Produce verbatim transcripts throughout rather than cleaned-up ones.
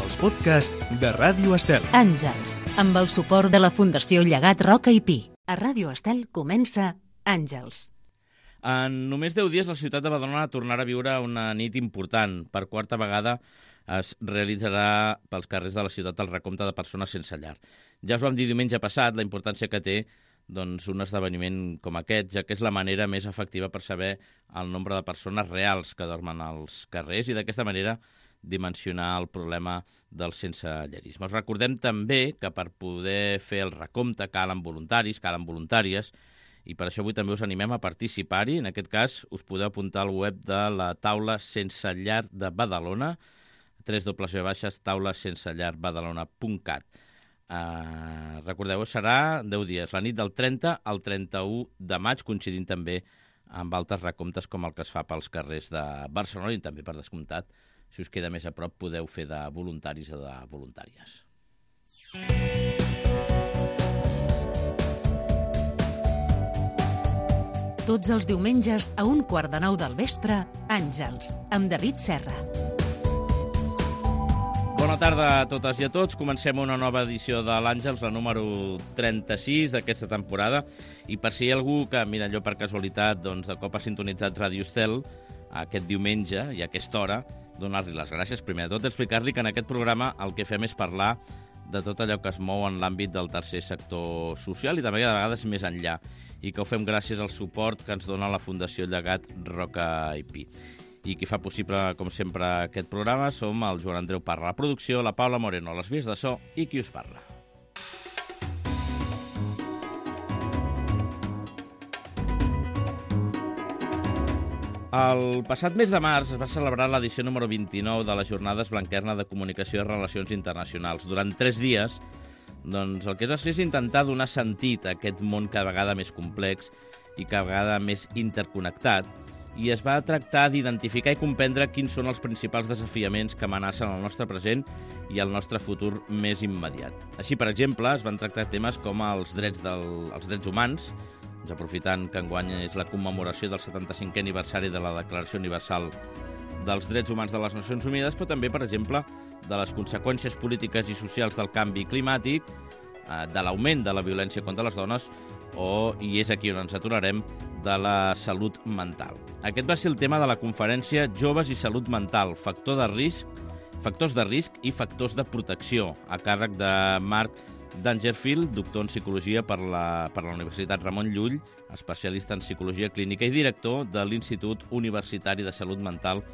els podcasts de Ràdio Estel. Àngels, amb el suport de la Fundació Llegat Roca i Pi. A Ràdio Estel comença Àngels. En només deu dies la ciutat de Badalona tornarà a viure una nit important. Per quarta vegada es realitzarà pels carrers de la ciutat el recompte de persones sense llar. Ja us vam dir diumenge passat la importància que té doncs, un esdeveniment com aquest, ja que és la manera més efectiva per saber el nombre de persones reals que dormen als carrers i d'aquesta manera dimensionar el problema del sensellarisme. Us recordem també que per poder fer el recompte calen voluntaris, calen voluntàries, i per això avui també us animem a participar-hi. En aquest cas, us podeu apuntar al web de la taula sense llar de Badalona, w w w punt taula sense llar badalona punt cat. Uh, recordeu, serà deu dies, la nit del trenta al trenta-u de maig, coincidint també amb altres recomptes com el que es fa pels carrers de Barcelona i també, per descomptat, si us queda més a prop, podeu fer de voluntaris o de voluntàries. Tots els diumenges a un quart de nou del vespre, Àngels, amb David Serra. Bona tarda a totes i a tots. Comencem una nova edició de l'Àngels, la número trenta-sis d'aquesta temporada. I per si hi ha algú que, mira, allò per casualitat, doncs, de cop ha sintonitzat Ràdio Estel aquest diumenge i a aquesta hora, donar-li les gràcies. Primer de tot, explicar-li que en aquest programa el que fem és parlar de tot allò que es mou en l'àmbit del tercer sector social i també de vegades més enllà, i que ho fem gràcies al suport que ens dona la Fundació Llegat Roca i Pi. I qui fa possible, com sempre, aquest programa som el Joan Andreu Parra, la producció, la Paula Moreno, les vies de so i qui us parla. El passat mes de març es va celebrar l'edició número vint-i-nou de les Jornades Blanquerna de Comunicació i Relacions Internacionals. Durant tres dies, doncs, el que es va fer és intentar donar sentit a aquest món cada vegada més complex i cada vegada més interconnectat, i es va tractar d'identificar i comprendre quins són els principals desafiaments que amenacen el nostre present i el nostre futur més immediat. Així, per exemple, es van tractar temes com els drets, del, els drets humans, doncs aprofitant que enguany és la commemoració del setanta-cinquè aniversari de la Declaració Universal dels Drets Humans de les Nacions Unides, però també, per exemple, de les conseqüències polítiques i socials del canvi climàtic, de l'augment de la violència contra les dones o, i és aquí on ens aturarem, de la salut mental. Aquest va ser el tema de la conferència Joves i Salut Mental, factor de risc, factors de risc i factors de protecció, a càrrec de Marc Dangerfield, doctor en Psicologia per la, per la Universitat Ramon Llull, especialista en Psicologia Clínica i director de l'Institut Universitari de Salut Mental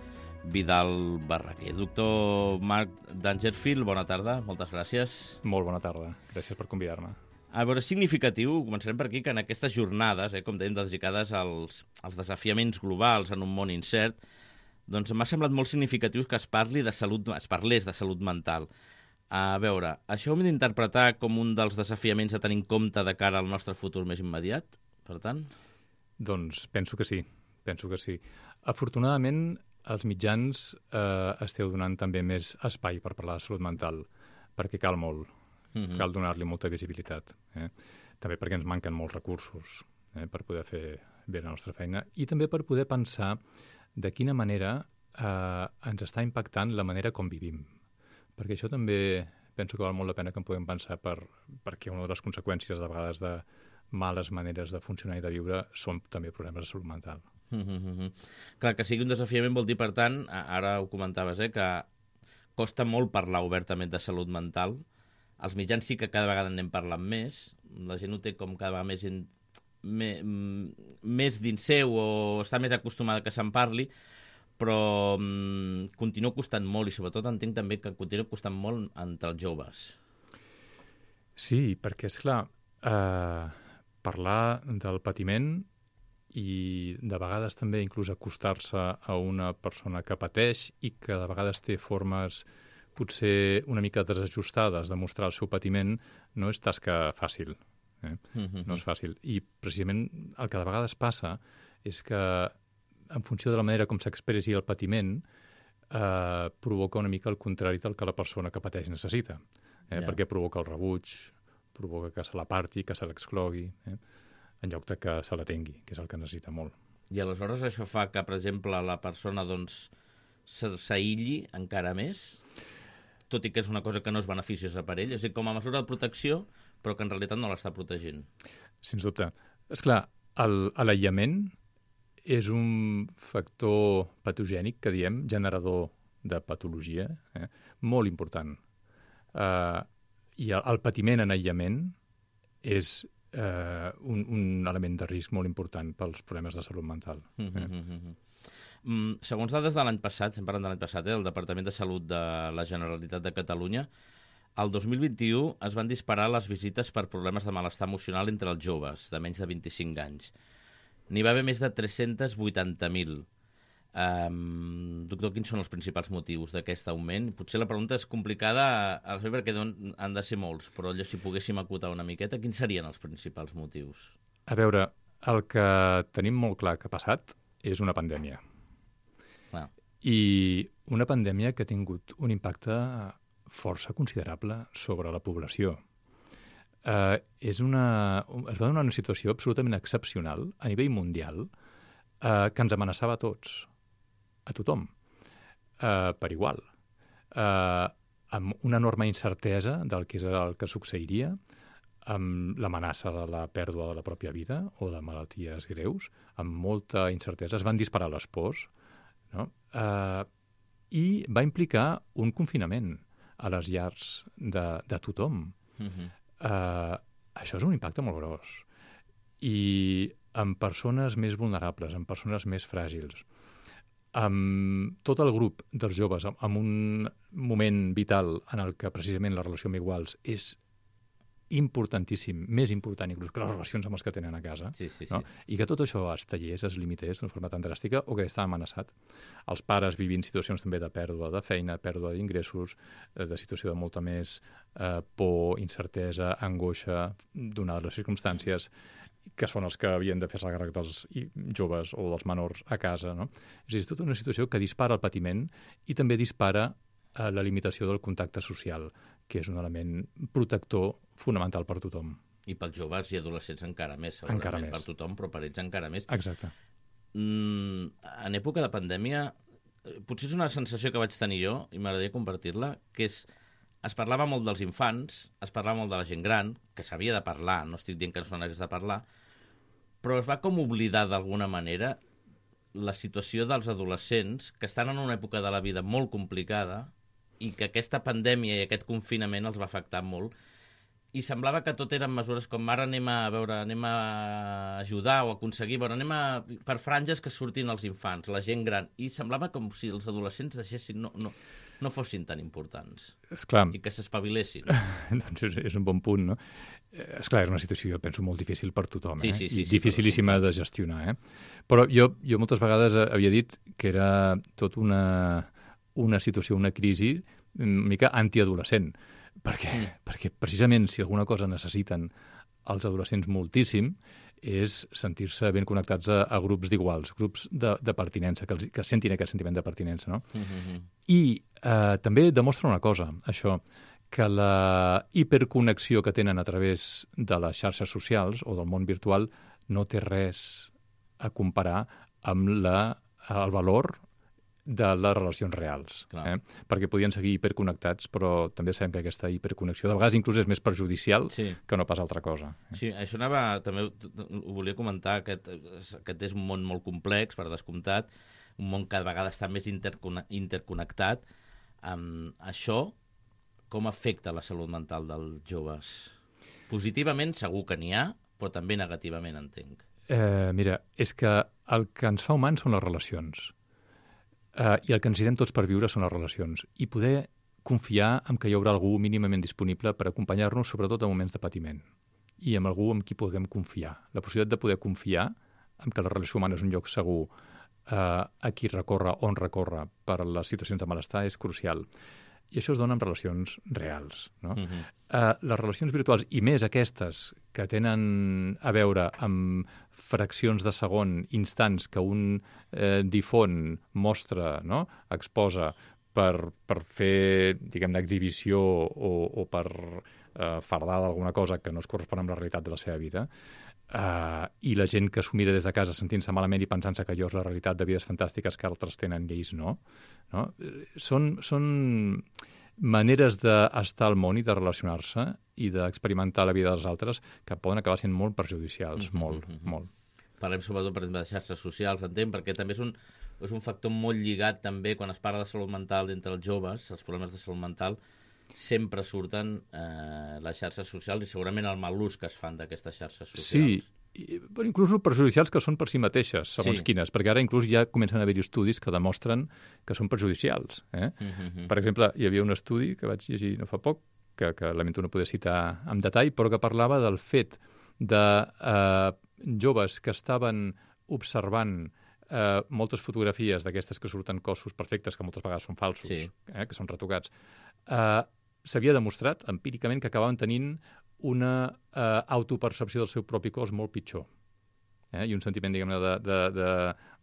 Vidal Barraquer. Doctor Marc Dangerfield, bona tarda, moltes gràcies. Molt bona tarda, gràcies per convidar-me. A veure, és significatiu, començarem per aquí, que en aquestes jornades, eh, com dèiem, dedicades als, als desafiaments globals en un món incert, doncs m'ha semblat molt significatiu que es parli de salut, es parlés de salut mental. A veure, això ho hem d'interpretar com un dels desafiaments a tenir en compte de cara al nostre futur més immediat, per tant? Doncs penso que sí, penso que sí. Afortunadament, els mitjans eh, esteu donant també més espai per parlar de salut mental, perquè cal molt. Mm-hmm. Cal donar-li molta visibilitat. Eh? També perquè ens manquen molts recursos eh, per poder fer bé la nostra feina i també per poder pensar de quina manera eh, ens està impactant la manera com vivim. Perquè això també penso que val molt la pena que en podem pensar per, perquè una de les conseqüències de vegades de males maneres de funcionar i de viure són també problemes de salut mental. Mm-hmm. Clar, que sigui un desafiament vol dir, per tant, ara ho comentaves, eh, que costa molt parlar obertament de salut mental. Els mitjans sí que cada vegada n'hem parlat més, la gent ho té com cada vegada més, in, me, més dins seu o està més acostumada que se'n parli, però mm, continua costant molt i sobretot entenc també que continua costant molt entre els joves. Sí, perquè és clar, eh, parlar del patiment i de vegades també inclús acostar-se a una persona que pateix i que de vegades té formes potser una mica desajustades de mostrar el seu patiment, no és tasca fàcil. Eh? Mm-hmm. No és fàcil. I precisament el que de vegades passa és que en funció de la manera com s'expressi el patiment eh, provoca una mica el contrari del que la persona que pateix necessita. Eh? Yeah. Perquè provoca el rebuig, provoca que se l'aparti, que se l'exclogui, eh? en lloc de que se l'atengui, que és el que necessita molt. I aleshores això fa que, per exemple, la persona doncs s'aïlli encara més? tot i que és una cosa que no és beneficiosa per ell, és a dir, com a mesura de protecció, però que en realitat no l'està protegint. Sens dubte. És clar, l'aïllament és un factor patogènic, que diem, generador de patologia, eh? molt important. Uh, I el, el patiment en aïllament és uh, un, un element de risc molt important pels problemes de salut mental. Mm -hmm, eh? mm -hmm. Mm, segons dades de l'any passat, estem parlant de l'any passat, eh, el Departament de Salut de la Generalitat de Catalunya, el dos mil vint-i-u es van disparar les visites per problemes de malestar emocional entre els joves de menys de vint-i-cinc anys. N'hi va haver més de tres-cents vuitanta mil. Um, doctor, quins són els principals motius d'aquest augment? Potser la pregunta és complicada a fer perquè han de ser molts, però allò, si poguéssim acotar una miqueta, quins serien els principals motius? A veure, el que tenim molt clar que ha passat és una pandèmia. Ah. I una pandèmia que ha tingut un impacte força considerable sobre la població. Uh, és una, es va donar una situació absolutament excepcional a nivell mundial uh, que ens amenaçava a tots, a tothom, uh, per igual, uh, amb una enorme incertesa del que és el que succeiria, amb l'amenaça de la pèrdua de la pròpia vida o de malalties greus, amb molta incertesa. Es van disparar les pors, no? Uh, i va implicar un confinament a les llars de, de tothom. Mm-hmm. Uh, això és un impacte molt gros. I amb persones més vulnerables, amb persones més fràgils, amb tot el grup dels joves, en un moment vital en el que precisament la relació amb iguals és importantíssim, més important inclús que les relacions amb els que tenen a casa, sí, sí, no? sí. I que tot això es tallés, es limités d'una forma tan dràstica o que està amenaçat. Els pares vivint situacions també de pèrdua de feina, pèrdua d'ingressos, de situació de molta més eh, por, incertesa, angoixa, donades les circumstàncies, que són els que havien de fer-se càrrec dels joves o dels menors a casa, no? És a dir, és tota una situació que dispara el patiment i també dispara eh, la limitació del contacte social, que és un element protector fonamental per tothom. I pels joves i adolescents encara més, segurament. Encara més. Per tothom, però per ells encara més. Exacte. Mm, en època de pandèmia, potser és una sensació que vaig tenir jo, i m'agradaria compartir-la, que és, es parlava molt dels infants, es parlava molt de la gent gran, que s'havia de parlar, no estic dient que no se n'hagués de parlar, però es va com oblidar d'alguna manera la situació dels adolescents que estan en una època de la vida molt complicada i que aquesta pandèmia i aquest confinament els va afectar molt. I semblava que tot eren mesures com ara anem a veure, anem a ajudar o aconseguir, bueno, anem a, per franges que surtin els infants, la gent gran. I semblava com si els adolescents deixessin, no, no, no fossin tan importants. Esclar. I que s'espavilessin. Doncs és, és un bon punt, no? Esclar, és una situació, jo penso, molt difícil per tothom, sí, eh? sí, sí, I sí, dificilíssima de gestionar, eh? Però jo, jo moltes vegades havia dit que era tot una, una situació, una crisi una mica antiadolescent, perquè, mm. perquè precisament si alguna cosa necessiten els adolescents moltíssim és sentir-se ben connectats a, a grups d'iguals, grups de, de pertinença, que, els, que sentin aquest sentiment de pertinença, no? Mm-hmm. I eh, també demostra una cosa, això, que la hiperconnexió que tenen a través de les xarxes socials o del món virtual no té res a comparar amb la, el valor de les relacions reals. Eh? Perquè podien seguir hiperconnectats, però també sabem que aquesta hiperconnexió de vegades inclús és més perjudicial sí. que no pas altra cosa. Eh? Sí, això anava, també ho volia comentar, aquest, aquest és un món molt complex, per descomptat, un món que cada vegada està més interconnectat. Um, això com afecta la salut mental dels joves? Positivament segur que n'hi ha, però també negativament, entenc. Eh, mira, és que el que ens fa humans són les relacions. Uh, I el que necessitem tots per viure són les relacions. I poder confiar en que hi haurà algú mínimament disponible per acompanyar-nos, sobretot en moments de patiment. I amb algú amb qui puguem confiar. La possibilitat de poder confiar en que la relació humana és un lloc segur uh, a qui recorre, on recorre per les situacions de malestar és crucial. I això es dona en relacions reals. No? Uh-huh. uh, les relacions virtuals, i més aquestes que tenen a veure amb fraccions de segon, instants que un eh, difon, mostra, no? exposa per, per fer, diguem-ne, exhibició o, o per eh, fardar d'alguna cosa que no es correspon amb la realitat de la seva vida, eh, i la gent que s'ho mira des de casa sentint-se malament i pensant-se que allò és la realitat de vides fantàstiques que altres tenen i ells no, no? Són, són maneres d'estar al món i de relacionar-se i d'experimentar la vida dels altres que poden acabar sent molt perjudicials, mm-hmm, molt, mm-hmm. molt. Parlem sobretot, per exemple, de xarxes socials, entenc, perquè també és un, és un factor molt lligat també quan es parla de salut mental d'entre els joves, els problemes de salut mental, sempre surten eh, les xarxes socials i segurament el mal ús que es fan d'aquestes xarxes socials. Sí, i, però inclús perjudicials que són per si mateixes, segons sí. quines, perquè ara inclús ja comencen a haver-hi estudis que demostren que són perjudicials. Eh? Mm-hmm. Per exemple, hi havia un estudi que vaig llegir no fa poc, que, que lamento no poder citar amb detall, però que parlava del fet de eh, joves que estaven observant eh, moltes fotografies d'aquestes que surten cossos perfectes, que moltes vegades són falsos, sí. eh, que són retocats, eh, s'havia demostrat empíricament que acabaven tenint una eh, autopercepció del seu propi cos molt pitjor. Eh? I un sentiment, diguem-ne, de, de, de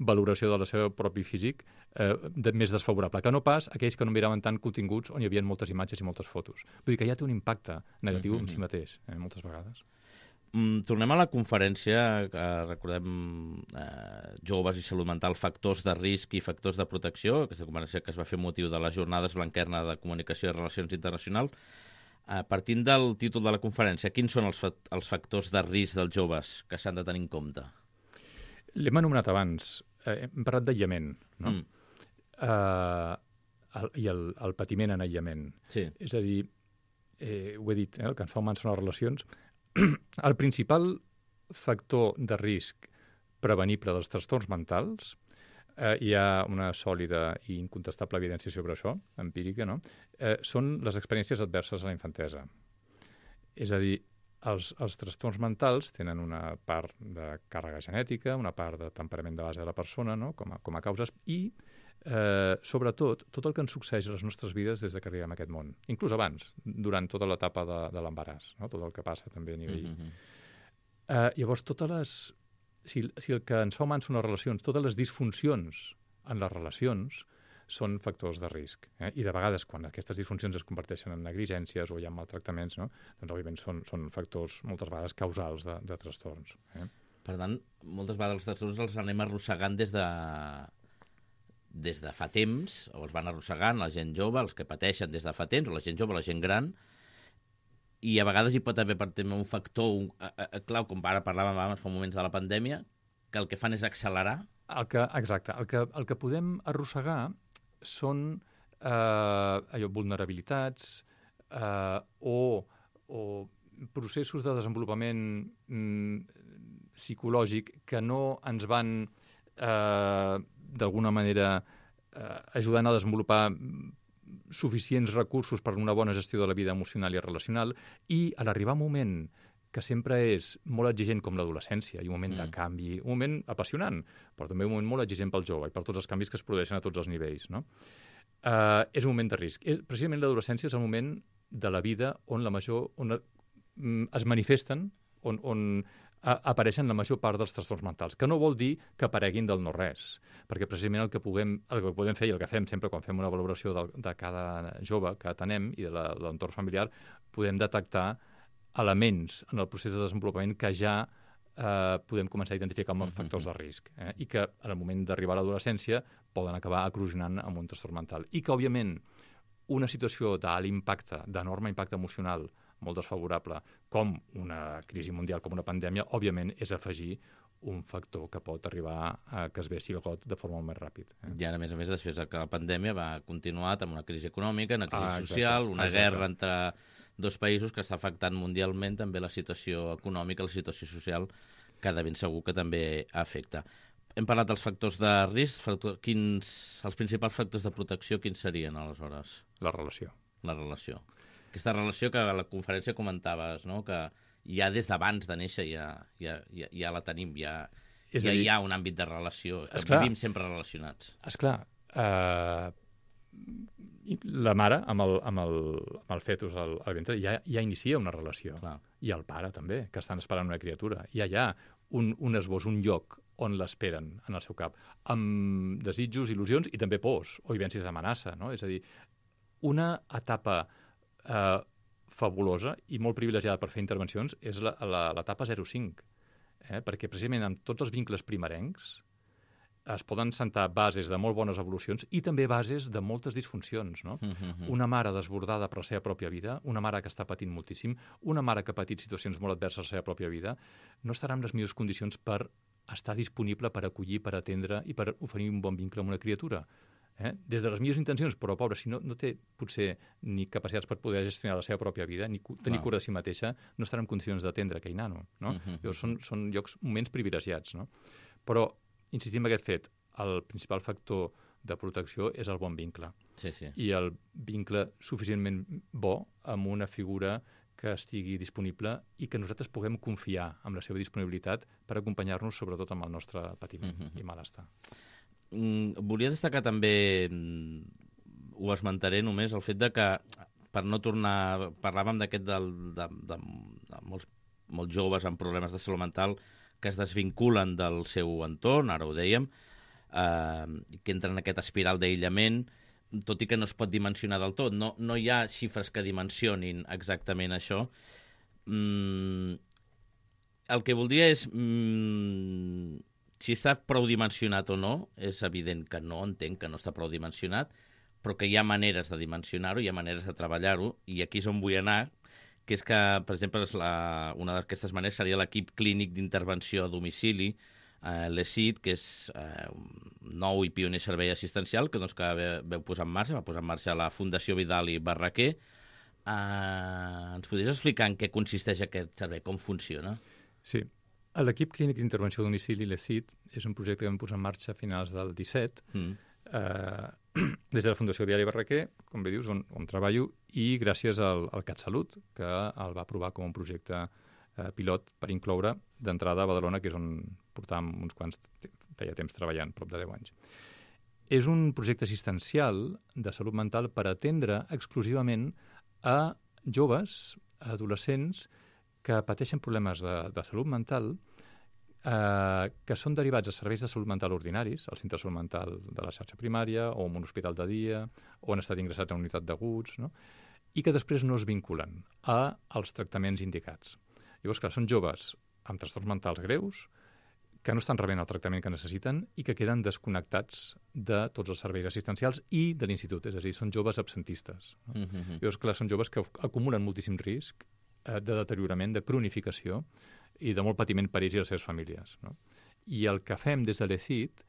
valoració del seu propi físic eh, de, més desfavorable, que no pas aquells que no miraven tant continguts on hi havia moltes imatges i moltes fotos. Vull dir que ja té un impacte negatiu mm-hmm. en si mateix, eh, moltes vegades. Mm, tornem a la conferència, eh, recordem eh, joves i salut mental, factors de risc i factors de protecció, aquesta conferència que es va fer motiu de les jornades Blanquerna de Comunicació i Relacions Internacionals. Eh, partint del títol de la conferència, quins són els, fa els factors de risc dels joves que s'han de tenir en compte? L'hem anomenat abans, eh, hem parlat d'aïllament, no? Mm. Eh, el, I el, el patiment en aïllament. Sí. És a dir, eh, ho he dit, eh, el que ens fa humans són les relacions. El principal factor de risc prevenible dels trastorns mentals, eh, hi ha una sòlida i incontestable evidència sobre això, empírica, no? Eh, són les experiències adverses a la infantesa. És a dir, els, els trastorns mentals tenen una part de càrrega genètica, una part de temperament de base de la persona, no? com, a, com a causes, i eh, sobretot tot el que ens succeeix a les nostres vides des que arribem a aquest món, inclús abans, durant tota l'etapa de, de l'embaràs, no? Tot el que passa també a nivell... Mm-hmm. eh, llavors, totes les... Si, si el que ens fa humans són les relacions, totes les disfuncions en les relacions són factors de risc. Eh? I de vegades, quan aquestes disfuncions es converteixen en negligències o hi ha maltractaments, no? Doncs, òbviament, són, són factors moltes vegades causals de, de trastorns. Eh? Per tant, moltes vegades els trastorns els anem arrossegant des de, des de fa temps, o els van arrossegant la gent jove, els que pateixen des de fa temps, o la gent jove, la gent gran, i a vegades hi pot haver per tema un factor un, a, a, clau, com ara parlàvem abans fa moments de la pandèmia, que el que fan és accelerar. El que, exacte. El que, el que podem arrossegar són eh, allò, vulnerabilitats eh, o, o processos de desenvolupament mm, psicològic que no ens van eh, d'alguna manera eh, ajudant a desenvolupar suficients recursos per una bona gestió de la vida emocional i relacional, i a l'arribar un moment que sempre és molt exigent com l'adolescència, i un moment mm. de canvi, un moment apassionant, però també un moment molt exigent pel jove i per tots els canvis que es produeixen a tots els nivells, no? Uh, és un moment de risc. Precisament l'adolescència és el moment de la vida on la major on es manifesten, on, on apareixen la major part dels trastorns mentals, que no vol dir que apareguin del no-res, perquè precisament el que, puguem, el que podem fer i el que fem sempre quan fem una valoració de, de cada jove que atenem i de l'entorn familiar, podem detectar elements en el procés de desenvolupament que ja eh, podem començar a identificar com a factors de risc, eh, i que en el moment d'arribar a l'adolescència poden acabar eclosionant amb un trastorn mental. I que, òbviament, una situació d'alt impacte, d'enorme impacte emocional, molt desfavorable, com una crisi mundial, com una pandèmia, òbviament és afegir un factor que pot arribar a que es vessi el got de forma molt més ràpid. Eh? I ara, a més a més, després que la pandèmia va continuar amb una crisi econòmica, una crisi ah, exacte, social, una exacte. guerra entre dos països que està afectant mundialment també la situació econòmica, la situació social, que de ben segur que també afecta. Hem parlat dels factors de risc, factor, quins, els principals factors de protecció, quins serien, aleshores? La relació. La relació. Aquesta relació que a la conferència comentaves, no? Que ja des d'abans de néixer ja, ja, ja, ja la tenim, ja, ja dir, hi ha un àmbit de relació, que esclar, vivim sempre relacionats. Esclar, eh, la mare amb el, amb el, amb el fetus al, al ventre ja, ja inicia una relació. Clar. I el pare també, que estan esperant una criatura. Ja hi ha un, un esbós, un lloc on l'esperen en el seu cap, amb desitjos, il·lusions i també pors o vivències d'amenaça, no? És a dir, una etapa eh, fabulosa i molt privilegiada per fer intervencions és l'etapa zero cinc, eh? Perquè precisament amb tots els vincles primerencs es poden sentar bases de molt bones evolucions i també bases de moltes disfuncions, no? Mm-hmm. Una mare desbordada per la seva pròpia vida, una mare que està patint moltíssim, una mare que ha patit situacions molt adverses a la seva pròpia vida, no estarà en les millors condicions per estar disponible per acollir, per atendre i per oferir un bon vincle amb una criatura. Eh? Des de les millors intencions, però, pobra, si no, no té potser ni capacitats per poder gestionar la seva pròpia vida, ni cu tenir Clar. cura de si mateixa, no estarà en condicions d'atendre aquell nano. No? Mm-hmm. Llavors, són, són llocs, moments privilegiats. No? Però, insistim en aquest fet, el principal factor de protecció és el bon vincle. Sí, sí. I el vincle suficientment bo amb una figura que estigui disponible i que nosaltres puguem confiar en la seva disponibilitat per acompanyar-nos, sobretot amb el nostre patiment Mm-hmm. i malestar. Mm, volia destacar també, mm, ho esmentaré només, el fet de que, per no tornar... Parlàvem d'aquest del, de, de, de molts, molts joves amb problemes de salut mental que es desvinculen del seu entorn, ara ho dèiem, eh, que entren en aquest espiral d'aïllament, tot i que no es pot dimensionar del tot. No, no hi ha xifres que dimensionin exactament això. Mm, el que voldria és... Mm, si està prou dimensionat o no, és evident que no, entenc que no està prou dimensionat, però que hi ha maneres de dimensionar-ho, hi ha maneres de treballar-ho, i aquí és on vull anar, que és que, per exemple, és la, una d'aquestes maneres seria l'equip clínic d'intervenció a domicili, eh, l'E S I D, que és eh, un nou i pioner servei assistencial que, doncs, que veu posar en marxa, va posar en marxa la Fundació Vidal i Barraquer. Eh, ens podries explicar en què consisteix aquest servei, com funciona? Sí. L'equip clínic d'intervenció a domicili, l'E S I D, és un projecte que vam posar en marxa a finals del disset, mm. eh, des de la Fundació Vidal i Barraquer, com bé dius, on, on treballo, i gràcies al, al CatSalut, que el va aprovar com un projecte eh, pilot per incloure d'entrada a Badalona, que és on portàvem uns quants, feia temps treballant, prop de deu anys. És un projecte assistencial de salut mental per atendre exclusivament a joves, adolescents, que pateixen problemes de, de salut mental, eh, que són derivats a serveis de salut mental ordinaris, al centre de salut mental de la xarxa primària, o en un hospital de dia, o han estat ingressats a una unitat d'aguts, no? I que després no es vinculen a, als tractaments indicats. Llavors, clar, són joves amb trastorns mentals greus, que no estan rebent el tractament que necessiten i que queden desconnectats de tots els serveis assistencials i de l'institut, és a dir, són joves absentistes. No? Mm-hmm. Llavors, clar, són joves que acumulen moltíssim risc de deteriorament, de cronificació i de molt patiment per ells i les seves famílies. No? I el que fem des de l'E S I D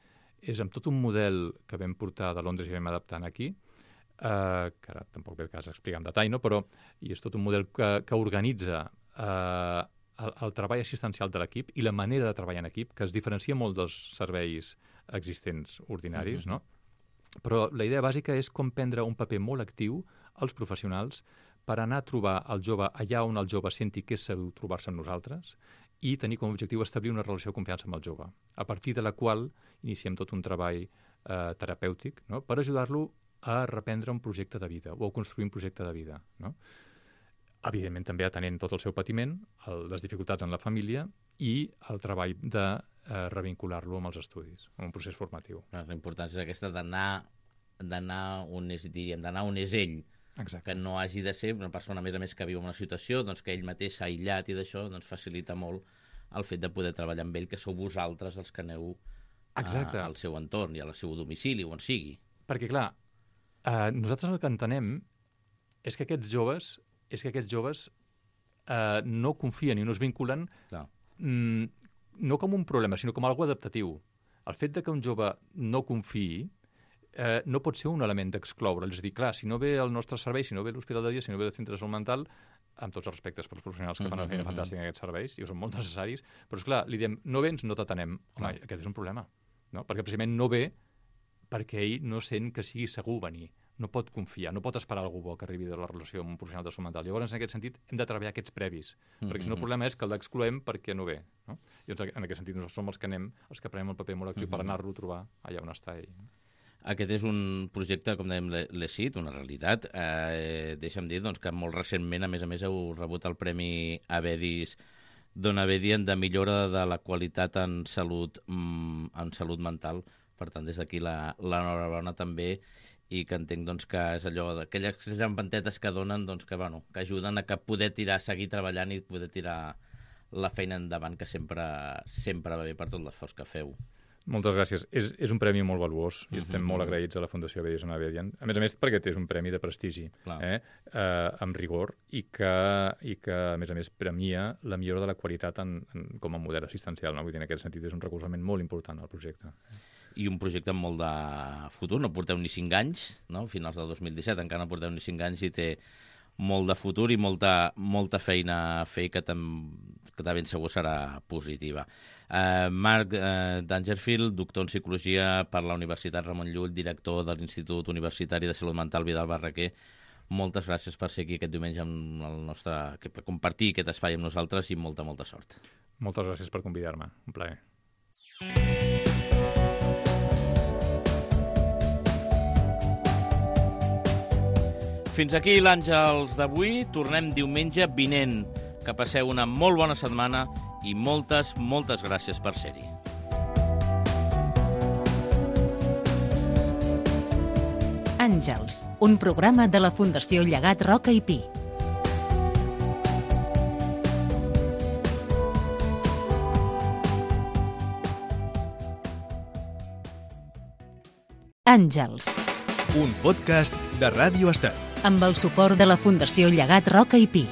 és amb tot un model que vam portar de Londres i vam adaptant aquí, eh, que ara tampoc ve el cas explicar en detall, no? Però i és tot un model que, que organitza eh, el, el treball assistencial de l'equip i la manera de treballar en equip, que es diferencia molt dels serveis existents ordinaris, mm-hmm. no? Però la idea bàsica és com prendre un paper molt actiu als professionals per anar a trobar el jove allà on el jove senti que és segur trobar-se amb nosaltres i tenir com a objectiu establir una relació de confiança amb el jove, a partir de la qual iniciem tot un treball eh, terapèutic, no? Per ajudar-lo a reprendre un projecte de vida o a construir un projecte de vida. No? Evidentment també atenent tot el seu patiment, el, les dificultats en la família i el treball de eh, revincular-lo amb els estudis, amb un procés formatiu. La importància és aquesta d'anar d'anar on és, diríem, d'anar on és ell. Exacte. Que no hagi de ser una persona, a més a més, que viu en una situació doncs, que ell mateix s'ha aïllat i d'això doncs, facilita molt el fet de poder treballar amb ell, que sou vosaltres els que aneu a, al seu entorn i al seu domicili, on sigui. Perquè, clar, eh, nosaltres el que entenem és que aquests joves, és que aquests joves eh, no confien i no es vinculen mm, no com un problema, sinó com algo adaptatiu. El fet de que un jove no confiï Eh, no pot ser un element d'excloure. És a dir, clar, si no ve el nostre servei, si no ve l'hospital de dia, si no ve el centre de salut mental, amb tots els respectes pels professionals que fan una feina fantàstica en aquests serveis, i són molt necessaris, però, esclar, li diem, no vens, no t'atenem. Home, aquest és un problema, no? Perquè precisament no ve perquè ell no sent que sigui segur venir. No pot confiar, no pot esperar algú bo que arribi de la relació amb un professional de salut mental. Llavors, en aquest sentit, hem de treballar aquests previs, mm-hmm. perquè si no el problema és que l'excloem perquè no ve. No? I doncs, en aquest sentit, nosaltres som els que anem, els que prenem el paper molt actiu mm-hmm. per anar-lo a trobar allà on està ell. Aquest és un projecte, com dèiem, l'E S I D, una realitat. Eh, deixa'm dir doncs, que molt recentment, a més a més, heu rebut el Premi Avedis Dona Avedien de millora de la qualitat en salut, mm, en salut mental. Per tant, des d'aquí l'enhorabona també, i que entenc doncs, que és allò d'aquelles llampantetes que donen, doncs, que, bueno, que ajuden a que poder tirar, seguir treballant i poder tirar la feina endavant, que sempre, sempre va bé per tot l'esforç que feu. Moltes gràcies. És, és un premi molt valuós i estem Mm-hmm. molt agraïts a la Fundació Abellós Abedian. A més a més, perquè és un premi de prestigi, eh? Eh, amb rigor, i que, i que, a més a més, premia la millora de la qualitat en, en, com a model assistencial. No? Vull dir, en aquest sentit, és un recolzament molt important al projecte. I un projecte amb molt de futur. No porteu ni cinc anys, no? Finals del dos mil disset, encara no porteu ni cinc anys i té molt de futur i molta, molta feina a fer que, tam, que de ben segur serà positiva. Uh, Marc uh, Dangerfield, doctor en Psicologia per la Universitat Ramon Llull, director de l'Institut Universitari de Salut Mental Vidal Barraquer, moltes gràcies per ser aquí aquest diumenge amb el nostre, per compartir aquest espai amb nosaltres i molta, molta sort. Moltes gràcies per convidar-me. Un plaer. Fins aquí l'Àngels d'avui. Tornem diumenge vinent. Que passeu una molt bona setmana i moltes, moltes gràcies per ser-hi. Àngels, un programa de la Fundació Llegat Roca i Pi. Àngels, Un podcast de Ràdio Estel. amb el suport de la Fundació Llegat Roca i Pi.